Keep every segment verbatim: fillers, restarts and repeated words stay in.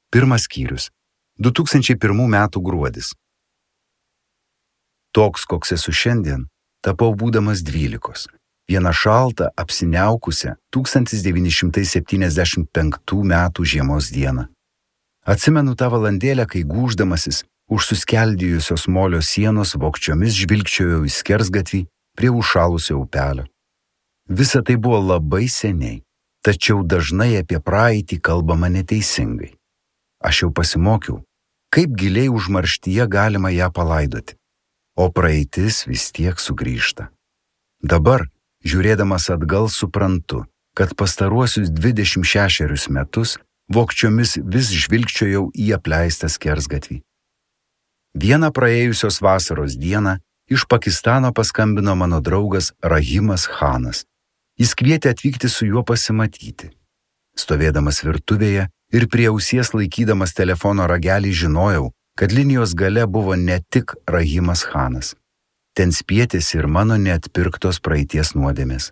Pirmas skyrius. du tūkstančiai pirmų metų gruodis. Toks, koks esu šiandien, tapau būdamas dvylikos. Vieną šaltą, apsiniaukusią tūkstantis devyni šimtai septyniasdešimt penktų metų žiemos dieną. Atsimenu tą valandėlę, kai gūždamasis už suskeldėjusios molio sienos vogčiomis žvilgčiojau į skersgatvį prie užšalusio upelio. Visa tai buvo labai seniai, tačiau dažnai apie praeitį kalbama neteisingai. Aš jau pasimokiau, kaip giliai užmarštyje galima ją palaidoti, o praeitis vis tiek sugrįžta. Dabar, žiūrėdamas atgal, suprantu, kad pastaruosius dvidešimt šešerius metus vogčiomis vis žvilgčiojau į apleistą skersgatvį. Vieną praėjusios vasaros dieną iš Pakistano paskambino mano draugas Rahimas Khanas. Jis kvietė atvykti su juo pasimatyti. Stovėdamas virtuvėje ir prie ausies laikydamas telefono ragelį žinojau, kad linijos gale buvo ne tik Rahimas Khanas. Ten spietėsi ir mano neatpirktos praeities nuodėmės.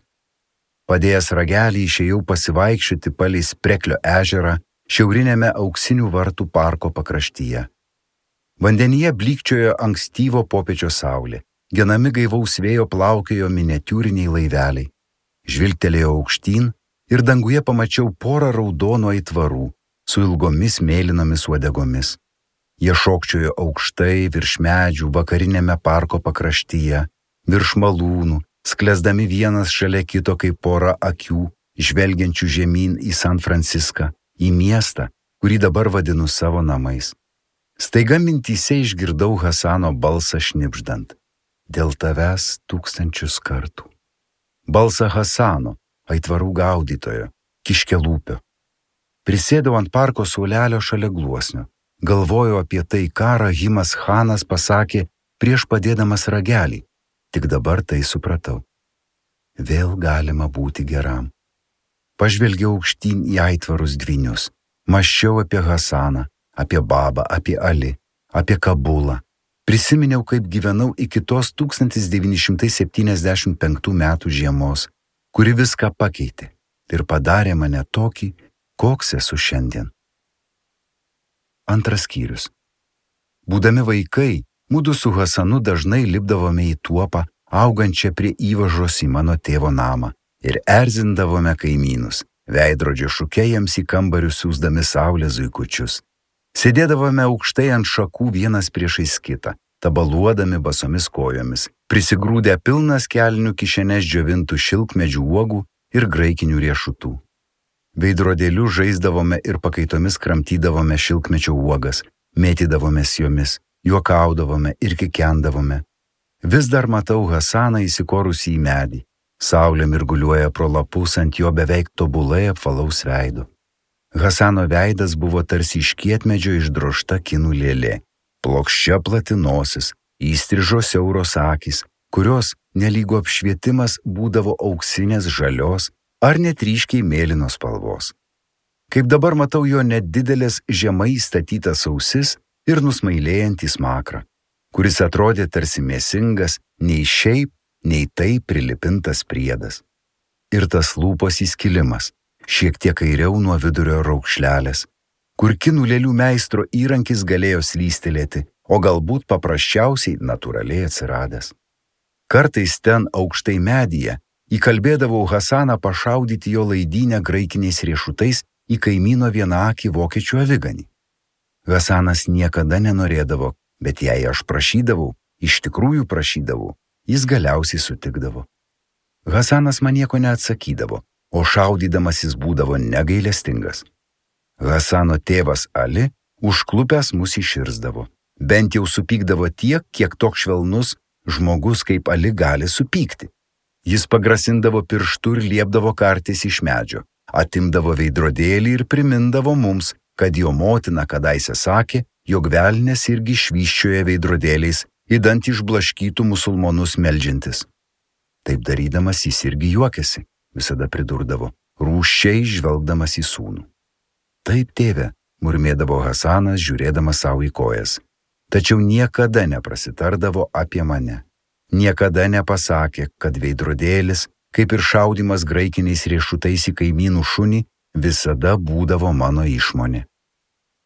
Padėjęs ragelį išėjau pasivaikščioti palei Spreklio ežerą šiaurinėme Auksinių vartų parko pakraštyje. Vandenyje blykčiojo ankstyvo popiečio saulė, genami gaivaus vėjo plaukiojo miniatiūriniai laiveliai. Žvilgtelėjau aukštyn ir danguje pamačiau porą raudonų aitvarų su ilgomis mėlynomis uodegomis. Jie šokčiojo aukštai virš medžių vakarinėme parko pakraštyje, virš malūnų, sklesdami vienas šalia kito kaip pora akių, žvelgiančių žemyn į San Franciską, į miestą, kurį dabar vadinu savo namais. Staiga mintyse išgirdau Hasano balsą šnibždant: dėl tavęs tūkstančius kartų. Balsą Hasano, aitvarų gaudytojo, kiškelūpio. Prisėdau ant parko suolelio šalia gluosnio. Galvojau apie tai, ką Rahimas Khanas pasakė prieš padėdamas ragelį. Tik dabar tai supratau. Vėl galima būti geram. Pažvelgiau aukštyn į aitvarus dvynius. Mąsčiau apie Hasaną, apie Babą, apie Ali, apie Kabulą. Prisiminiau, kaip gyvenau iki tos tūkstantis devyni šimtai septyniasdešimt penktų metų žiemos, kuri viską pakeitė ir padarė mane tokį, koks esu šiandien. Antras skyrius. Būdami vaikai, mudu su Hasanu dažnai lipdavome į tuopą, augančią prie įvažos į mano tėvo namą, ir erzindavome kaimynus, veidrodžio šuke jiems į kambarius siųsdami saulės zuikučius. Sėdėdavome aukštai ant šakų vienas priešais kitą, tabaluodami basomis kojomis, prisigrūdę pilnas kelnių kišenes džiovintų šilkmedžių uogų ir graikinių riešutų. Veidrodėliu žaisdavome ir pakaitomis kramtydavome šilkmečio uogas, mėtydavomės jomis, juokaudavome ir kikendavome. Vis dar matau Hasaną įsikorusį į medį. Saulė mirguliuoja pro lapus ant jo beveik tobulai apvalaus veido. Hasano veidas buvo tarsi iš kietmedžio išdrožta kinų lėlė. Plokščia plati nosis, įstrižo siauros akys, kurios nelygu apšvietimas būdavo auksinės žalios ar net ryškiai mėlynos spalvos. Kaip dabar matau jo nedidelės žemai įstatytas ausis ir nusmailėjantį smakrą, kuris atrodė tarsi mėsingas, nei šiaip, nei tai prilipintas priedas. Ir tas lūpos įskilimas, šiek tiek kairiau nuo vidurio raukšlelės, kur kinų lėlių meistro įrankis galėjo slystelėti, o galbūt paprasčiausiai natūraliai atsiradęs. Kartais ten aukštai medyje įkalbėdavau Hasaną pašaudyti jo laidynę graikiniais riešutais į kaimyno vienaakį vokiečių aviganį. Hasanas niekada nenorėdavo, bet jei aš prašydavau, iš tikrųjų prašydavau, jis galiausiai sutikdavo. Hasanas man nieko neatsakydavo, o šaudydamas jis būdavo negailestingas. Hasano tėvas Ali užklupęs mus iširzdavo. Bent jau supykdavo tiek, kiek toks švelnus žmogus kaip Ali gali supykti. Jis pagrasindavo pirštu ir liepdavo kartis iš medžio, atimdavo veidrodėlį ir primindavo mums, kad jo motina kadaise sakė, jog velnias irgi švyščioja veidrodėliais, idant išblaškytų musulmonus meldžiantis. Taip darydamas jis irgi juokėsi, visada pridurdavo, rūsčiai žvelgdamas į sūnų. Taip, tėve, murmėdavo Hasanas, žiūrėdamas savo į kojas. Tačiau niekada neprasitardavo apie mane. Niekada nepasakė, kad veidrodėlis, kaip ir šaudimas graikiniais riešutais į kaimynų šunį, visada būdavo mano išmonė.